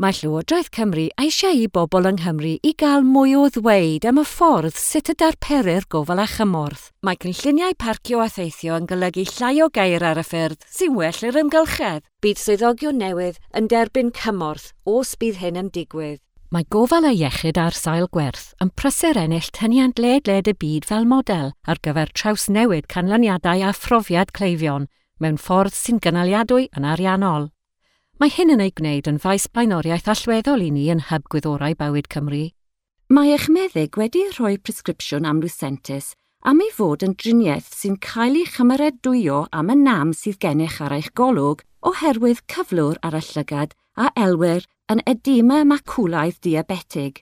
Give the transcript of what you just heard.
Mae Llywodraeth Cymru eisiau i bobl yng Nghymru i gael mwy o ddweud am y ffordd sut y darperir gofal a chymorth. Mae cynlluniau parcio a theithio yn golygu llai o geir ar y ffyrdd sy'n well i'r amgylchedd. Bydd swyddogion newydd yn derbyn cymorth os bydd hyn yn digwydd. Mae gofal a iechyd ar sail gwerth yn prysur ennill tyniant ledled y byd fel model ar gyfer trawsnewid canlyniadau a phrofiad cleifion mewn ffordd sy'n gynaliadwy yn ariannol. Mae hyn yn ei gwneud yn faes blaenoriaeth allweddol i ni yn Hyb Gwyddorau Bywyd Cymru. Mae eich meddyg wedi rhoi presgripsiwn am Lucentis am ei fod yn driniaeth sy'n cael ei chymeradwyo am y nam sydd gennych ar eich golwg oherwydd cyflwr ar y llygad a elwir yn edema macwlaidd diabetig.